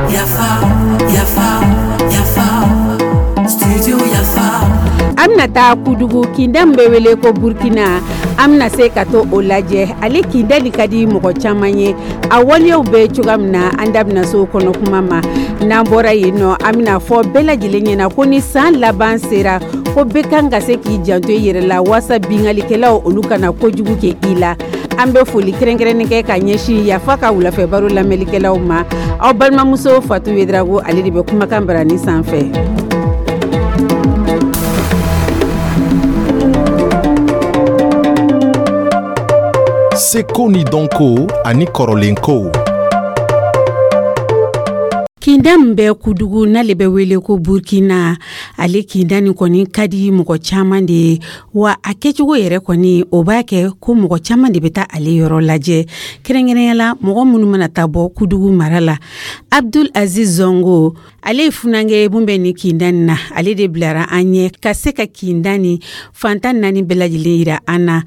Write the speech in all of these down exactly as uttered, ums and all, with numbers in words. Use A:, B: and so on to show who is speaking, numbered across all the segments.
A: Yafa, yafa, yafa, studio Yafa.
B: An bɛna taa Kudugu, kinda min bɛ wele ko Burkina, an bɛna se ka to o lajɛ. Ale kinda nin ka di mɔgɔ caman ye, a waleyaw bɛ cogoya min na, an da bɛna se o kɔnɔ kuma ma. N'an bɔra yen nɔ, an bɛna fɔ bɛɛ lajɛlen ɲɛna ko ni san laban sera, ko bɛɛ kan ka se k'i janto i yɛrɛ la waasa bingalikɛlaw olu kana kojugu kɛ i la. An bɛ foli kɛrɛnkɛrɛnnen kɛ ka ɲɛsin Yafa ka wulafɛ baro lamɛnlikɛlaw ma. Aw balimamuso Fatu Yedrago, ale de bɛ kumakan barani sanfɛ.
C: Seko ni dɔnko ani kɔrɔlenkow.
B: Kinda min bɛ Kudugu n'ale bɛ wele ko Burkina, ale kinda nin kɔni ka di mɔgɔ caman de ye, wa a kɛcogo yɛrɛ kɔni, o b'a kɛ ko mɔgɔ caman de bɛ taa ale yɔrɔ lajɛ, kɛrɛnkɛrɛnya la mɔgɔ minnu mana taa bɔ Kudugu mara la. Abdul Aziz Zongo, ale ye funankɛ ye mun bɛ nin kinda nin na, ale de bilara an ɲɛ ka se ka kinda nin fantan naani bɛɛ lajɛlen yira an na.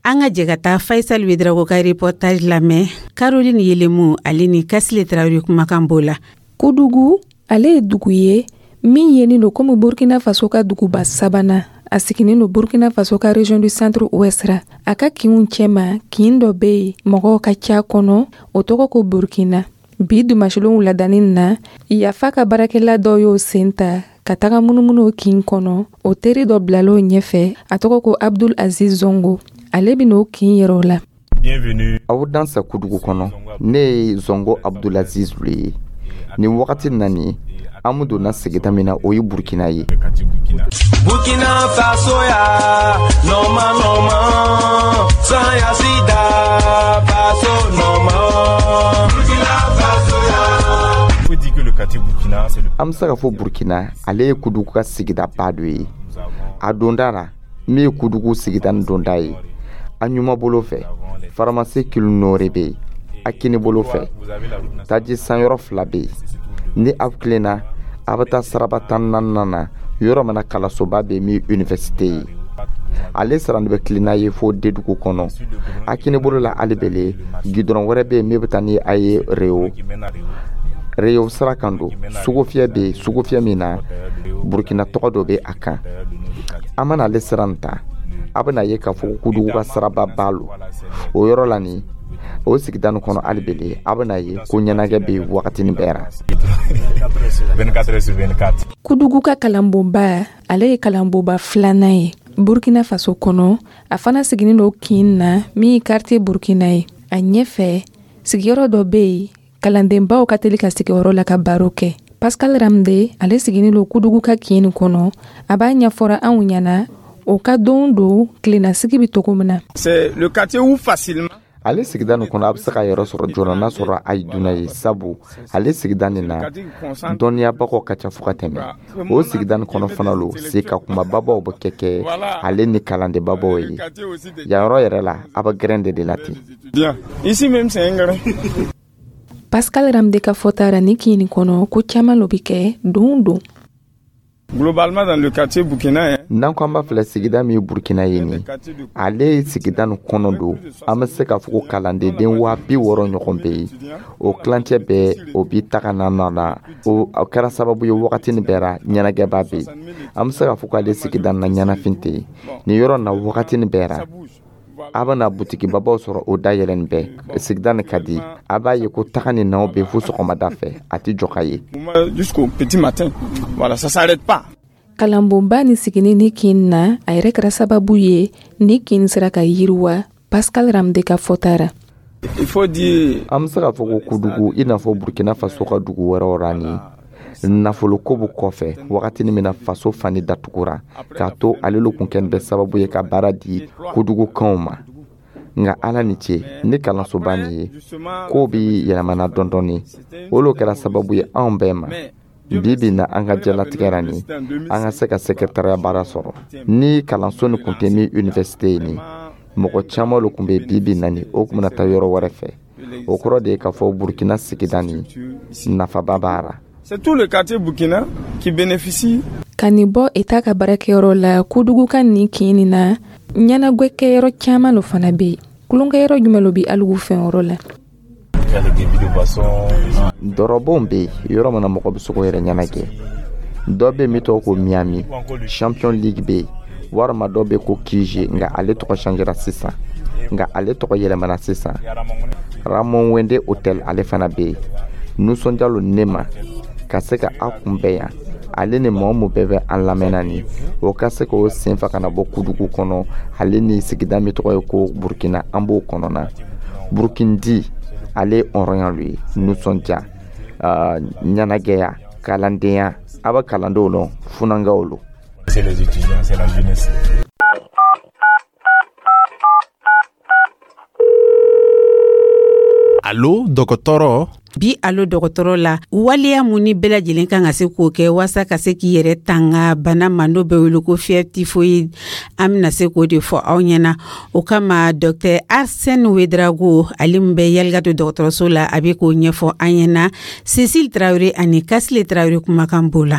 B: An ka jɛ ka taa Faisal Ouedraogo ka reportage lamɛn, Caroline Yelemu ale ni Kasile Tarawele kumakan b'o la.
D: Kudugu, ale ye dugu ye min yenin don komi Burkina Faso ka duguba sabanan. A siginin don Burkina Faso ka région du centre ouest ra. A ka kinw cɛma, kin dɔ bɛ yen mɔgɔw ka ca kɔnɔ, o tɔgɔ ko Burkina. Bi dimanche wuladanin na, Yafa ka baarakɛla dɔ y'o sen ta ka taga munumunu o kin kɔnɔ. O teri dɔ bilala o ɲɛfɛ, a tɔgɔ ko Abdul Aziz Zongo, ale bɛn'o kin yɛrɛ o la.
C: Bienvenue.
E: Aw dansa Kudugu kɔnɔ, ne ye Zongo Abdulaziz le ye. Nin wagati na nin, an mun donna sigida min na, o ye Burkina ye.
F: Burkina Faso ya normal normal sans ya sida faso normal. Burkina Faso ya.
C: Faut dire que le quartier Burkina, c'est le
E: An bɛ se ka fɔ Burkina, ale ye Kudugu ka sigidaba dɔ ye. A donda la, min ye Kudugu sigida ni donda ye, a ɲuman bolo fɛ, pharmacie Kilnore bɛ yen. A kini bolo fɛ, taji sanyɔrɔ fila bɛ yen. Ni aw tilenna, a bɛ taa siraba tan naaninan na, yɔrɔ min na kalansoba bɛ min université ye. Ale sara bɛ tilenna ye fo Dedugu kɔnɔ. A kini bolo la hali bele, gidɔrɔn wɛrɛ bɛ yen min bɛ taa ni a ye Reyo. Reyo sira kan don, sugufiyɛ bɛ yen, sugufiyɛ min na Burukina tɔgɔ dɔ bɛ a kan. An mana ale sira nin ta, a bɛna ye k'a fɔ ko Kudugu ka siraba ba lo. O yɔrɔ la nin, o sigida nin kɔnɔ hali bele, a bɛna ye ko ɲɛnajɛ bɛ yen wagatinin bɛɛ ra.
C: vingt-quatre heures sur vingt-quatre.
D: Kudugu ka kalanbonba, ale ye kalanbonba filanan ye Burkina Faso kɔnɔ. A fana siginin don kin na min ye quartier Burkina ye. A ɲɛfɛ sigiyɔrɔ dɔ bɛ yen, kalandenbaw ka teli ka sigiyɔrɔ la ka baro kɛ. Pascal Ramde, ale siginin don Kudugu ka kin nin kɔnɔ, a b'a ɲɛfɔra anw ɲɛna o ka don don tilennasigi bɛ cogo min na.
F: C'est le quartier où facilement
E: Ale sigida nin kɔnɔ, a bɛ se ka yɛrɛ sɔrɔ joona n'a sɔrɔ a ye dunan ye, sabu ale sigida nin na, dɔnniyabagaw ka ca fo ka tɛmɛ. O sigida nin kɔnɔ fana lo, se ka kumababaw bɛ kɛ kɛ ale ni kalandenbabaw ye. Yan yɔrɔ yɛrɛ la, a bɛ gɛrɛn de de la ten.
F: Bien. Ici même, c'est un grain.
D: Pascal Ramde ka fɔta ra, ni kin nin kɔnɔ, ko caman lo bɛ kɛ don don.
F: Globalement, dans le quartier Burkina, hein,
E: N'an ko an b'a filɛ, sigida min ye Burkina ye nin, ale ye sigida nin kɔnɔ don, an bɛ se k'a fɔ ko kalandenden waa bi wɔɔrɔ ɲɔgɔn bɛ yen. O tilancɛ bɛɛ o bi taga na na na o kɛra sababu ye wagatinin bɛɛ ra ɲɛnajɛba bɛ yen. An bɛ se k'a fɔ k'ale sigida nin na, ɲɛnafin tɛ yen nin yɔrɔ na. Wagatinin bɛɛ ra, a bɛna butikibabaw sɔrɔ o dayɛlɛn bɛɛ. Sigida nin ka di, a b'a ye ko taga ni naw bɛ fo sɔgɔmada fɛ, a tɛ jɔ ka ye.
F: Jusqu'au petit matin. Voilà, ça s'arrête pas.
D: Kalanbonba ni sigini ni kin na, a yɛrɛ kɛra sababu ye ni kin sera ka yiriwa, Pascal Ramde ka fɔta ra.
F: Il faut dire
E: An bɛ se k'a fɔ ko Kudugu, i n'a fɔ Burkina Faso ka dugu wɛrɛw ra, ni nafolo ko bɛ kɔfɛ, wagatinin min na faso fani datugura k'a to, ale lo kun kɛlen bɛ sababu ye ka baara di Kudugukanw ma. Nka Ala ni ce, ni kalansoba nin ye, kow bi yɛlɛmana dɔɔni dɔɔni. O lo kɛra sababu ye anw bɛɛ ma bi bi na, an ka diɲɛlatigɛ ra nin, an ka se ka secrétariat baara sɔrɔ. Ni kalanso nin kun tɛ min université ye nin, mɔgɔ caman lo kun bɛ bi bi na nin, o kun bɛna taa yɔrɔ wɛrɛ fɛ. O kɔrɔ de ye k'a fɔ Burkina sigida nin, nafaba b'a ra.
F: C'est tout le quartier Burkina qui bénéficie.
D: Ka nin bɔ Eta ka baarakɛyɔrɔ la, Kudugu ka nin kin nin na, ɲɛnagwɛkɛyɔrɔ caman lo fana bɛ yen. Tulonkɛyɔrɔ jumɛn lo bi alugu fɛn yɔrɔ la?
E: Dɔrɔbon bɛ yen, yɔrɔ min na mɔgɔ bɛ se k'o yɛrɛ ɲɛnajɛ. Dɔ bɛ yen min tɔgɔ ko Miami Champion League bɛ yen, walima dɔ bɛ ko Q G, nka ale tɔgɔ changera sisan, nka ale tɔgɔ yɛlɛmana sisan. Ramon Wende Hotel, ale fana bɛ yen. Nisɔndiya lo ne ma ka se ka aw kunbɛn yan, ale ni maa o mun bɛɛ bɛ an lamɛnna nin o ka se k'o sen fa ka na bɔ Kudugu kɔnɔ, ale ni sigida min tɔgɔ ye ko Burukina, an b'o kɔnɔna. Burukindi, ale ye hɔrɔnya lo ye, nisɔndiya, ɲɛnagɛya, kalandenya. A bɛ kalandenw lɔn, funankɛw lo.
C: C'est les étudiants, c'est la jeunesse.
G: Alo dɔgɔtɔrɔ.
B: Bi alo dɔgɔtɔrɔ la, waleya mun ni bɛɛ lajɛlen kan ka se k'o kɛ waasa ka se k'i yɛrɛ tanga bana ma n'o bɛ wele ko fièvre typhoïde, an bɛna se k'o de fɔ aw ɲɛna. O kama, docteur Arsène Ouédraogo, ale min bɛ Yalikato dɔgɔtɔrɔso la, a bɛ k'o ɲɛfɔ an ɲɛna. Cécile Traoré ani Kasile Traoré kumakan b'o la.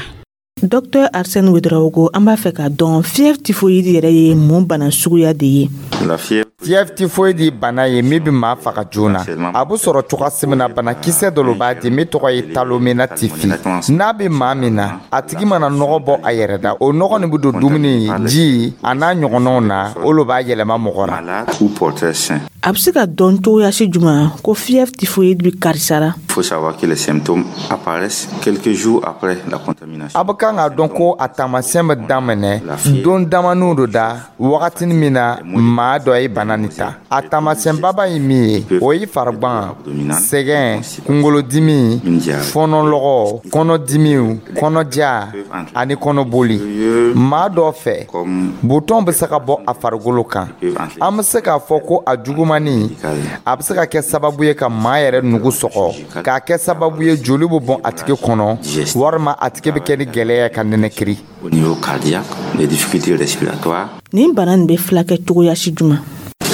H: Docteur Arsène Ouédraogo, an b'a fɛ k'a dɔn, fièvre typhoïde yɛrɛ ye mun bana suguya de ye?
E: Fièvre typhoïde bana ye min bɛ maa faga joona. A bɛ sɔrɔ cogoya min na, banakisɛ dɔ lo b'a di min tɔgɔ ye Salmonella typhi. N'a bɛ maa min na, a tigi mana nɔgɔ bɔ a yɛrɛ da, o nɔgɔ nin bɛ don dumuni, ji a n'a ɲɔgɔnnaw na, o lo b'a yɛlɛma mɔgɔ la.
H: A bɛ se ka dɔn cogoya si jumɛn ko fièvre typhoïde bɛ karisa la?
I: Il faut savoir que les symptômes apparaissent quelques jours après la contamination.
E: A bɛ kan k'a dɔn ko a taamasiyɛn bɛ daminɛ don damaniw do da, wagatinin min na maa dɔ ye bana nin ta. A taamasiyɛnbaba ye min ye, o ye farigban, sɛgɛn, kunkolodimi, fɔnɔlɔgɔ, kɔnɔdimiw, kɔnɔja ani kɔnɔboli. Maa dɔ fɛ, butɔn bɛ se ka bɔ a farikolo kan. An bɛ se k'a fɔ ko a jugumani, a bɛ se ka kɛ sababu ye ka maa yɛrɛ nugu sɔgɔ, k'a kɛ sababu ye joli bɛ bɔn a tigi kɔnɔ, walima a tigi bɛ kɛ ni gɛlɛya ka nɛnɛkiri.
I: Au niveau cardiaque, les difficultés respiratoires.
H: Nin bana nin bɛ fulakɛ cogoya si jumɛn?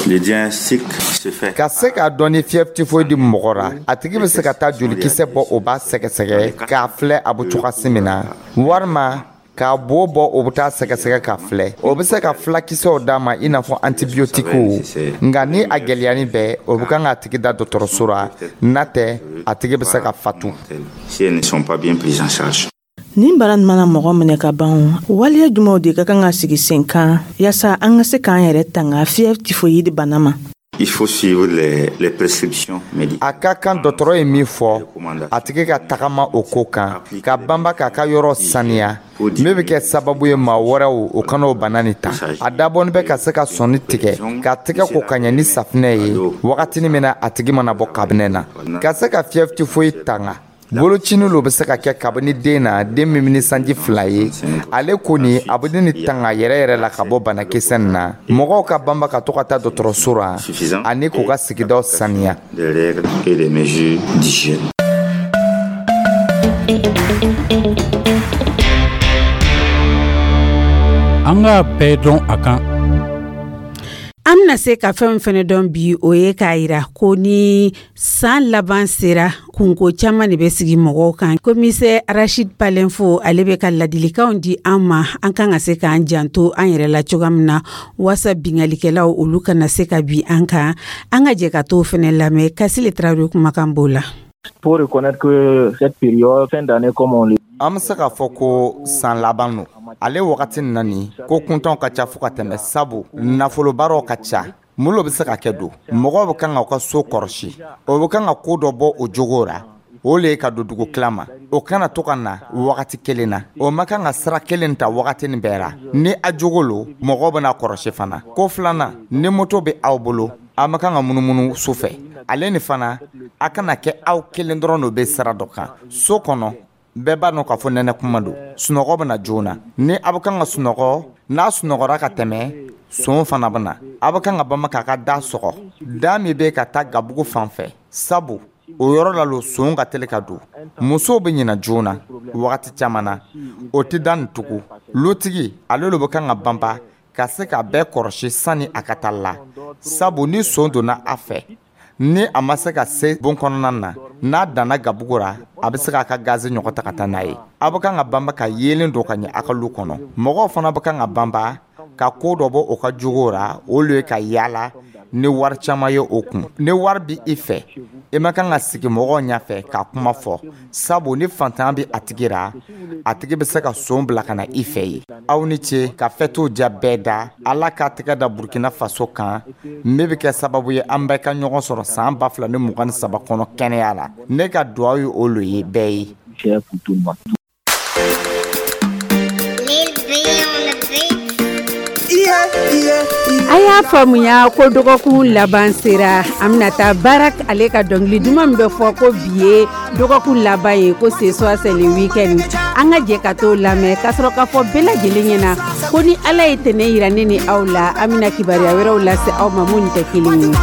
I: Le diagnostic se fait.
E: Ka se k'a dɔn ni fièvre typhoïde mɔgɔ ra, a tigi bɛ se ka taa jolikisɛ bɔ, o b'a sɛgɛsɛgɛ k'a filɛ a bɛ cogoya min na, walima k'a bo bɔ, o bɛ taa sɛgɛsɛgɛ k'a filɛ. O bɛ se ka fulakisɛw d'a ma, i n'a fɔ antibiotiquew. Nka ni a gɛlɛyani bɛɛ, o bɛ kan k'a tigi da dɔgɔtɔrɔso la, n'a tɛ a tigi bɛ se ka fatu.
I: Si elles ne sont pas bien prises en charge.
H: Nin bana nin mana mɔgɔ minɛ ka ban, waleya jumɛnw de ka kan ka sigi sen kan yaasa an ka se k'an yɛrɛ tanga fièvre typhoïde bana ma?
I: Il faut suivre les, les prescriptions médicales.
E: A ka kan dɔgɔtɔrɔ ye min fɔ, a tigi ka tagama o ko kan, ka banba k'a ka yɔrɔ saniya, min bɛ kɛ sababu ye maa wɛrɛw o kana o bana nin ta. A dabɔnin bɛ ka se ka sɔnni tigɛ, ka tɛgɛ ko ka ɲɛ ni safinɛ ye wagatinin min na a tigi mana bɔ kabinɛ na. Ka se ka fièvre typhoïde tanga, bolocinin lo bɛ se ka kɛ kabini den na, den min ni sanji fila ye. Ale kɔni, a bɛ ni tanga yɛrɛ yɛrɛ la ka bɔ banakisɛ nin na. Mɔgɔw ka banba ka to ka taa dɔgɔtɔrɔso la ani k'u ka sigidaw saniya.
I: Des règles et des mesures d'hygiène.
G: An k'a bɛɛ dɔn a kan.
B: An bɛna se ka fɛn fɛnɛ dɔn bi, o ye k'a yira ko ni san laban sera, kunko caman de bɛ sigi mɔgɔw kan. Commissaire Rachid Palenfo, ale bɛ ka ladilikanw di an ma, an kan ka se k'an janto an yɛrɛ la cogoya min na waasa binkannikɛlaw olu kana se ka bin an kan. An ka jɛ ka t'o fɛnɛ lamɛn. Kasile Tarawele kumakan b'o la.
J: Pour reconnaître que cette période, fin d'année comme on le
E: An bɛ se k'a fɔ ko san laban don, ale wagati nin na nin ko kuntanw ka ca fo ka tɛmɛ, sabu nafolobaaraw ka ca. Mun lo bɛ se ka kɛ don? Mɔgɔw bɛ kan ka u ka so kɔlɔsi, o bɛ kan ka ko dɔ bɔ o jogo ra, o le ye ka don dugu tila ma. O kana to ka na wagati kelen na, o ma kan ka sira kelen ta wagati nin bɛɛ ra. Ni a jogo lo, mɔgɔw bɛna kɔlɔsi fana. Ko filanan, ni moto bɛ aw bolo, a ma kan ka munumunu su fɛ. Ale ni fana, a kana kɛ aw kelen dɔrɔn de bɛ sira dɔ kan. So kɔnɔ, bɛɛ b'a dɔn k'a fɔ nɛnɛ kuma don, sunɔgɔ bɛ na joona. Ni a bɛ kan ka sunɔgɔ, n'a sunɔgɔra ka tɛmɛ, son fana bɛ na. A bɛ kan ka bama k'a ka da sɔgɔ, da min bɛ ka taa gabugu fan fɛ, sabu o yɔrɔ la lo son ka teli ka don. Musow bɛ ɲina joona wagati caman na, o tɛ da nin tugun. Lotigi, ale lo bɛ kan ka banba ka se ka bɛɛ kɔlɔsi sani a ka taa la, sabu ni son donna a fɛ, ni a ma se ka se bon kɔnɔna na, n'a danna gabugu ra, a bɛ se k'a ka gaze ɲɔgɔn ta ka taa n'a ye. A bɛ kan ka banba ka yeelen don ka ɲɛ a ka lu kɔnɔ. Mɔgɔw fana bɛ kan ka banba ka ko dɔ bɔ o ka jogo ra, o le ye ka yaala Ni wari caman ye o kun, ni wari bi i fɛ, i ma kan ka sigi mɔgɔw ɲɛfɛ ka kuma fɔ, sabu ni fantanya bɛ a tigi ra, a tigi bɛ se ka son bila ka na i fɛ yen. Aw ni ce ka fɛtiw diya bɛɛ da. Ala k'a tɛgɛ da Burkina Faso kan, min bɛ kɛ sababu ye an bɛɛ ka ɲɔgɔn sɔrɔ san ba fila ni mugan ni saba kɔnɔ kɛnɛya la. Ne ka duwawu ye o lo ye bɛɛ ye.
J: Cher pour tout le monde.
K: Lil B on the beat.
B: A y'a faamuya ko dɔgɔkun laban sera. An bɛna taa baara. Ale ka dɔnkili duman min bɛ fɔ ko bi ye dɔgɔkun laban ye, ko ce soir c'est le week-end, an ka jɛ ka t'o lamɛn, ka sɔrɔ k'a fɔ bɛɛ lajɛlen ɲɛna ko ni Ala ye tɛnɛ yira ne ni aw la, an bɛna kibaruya wɛrɛw lase aw ma minnu tɛ kelen ye.
A: Ni.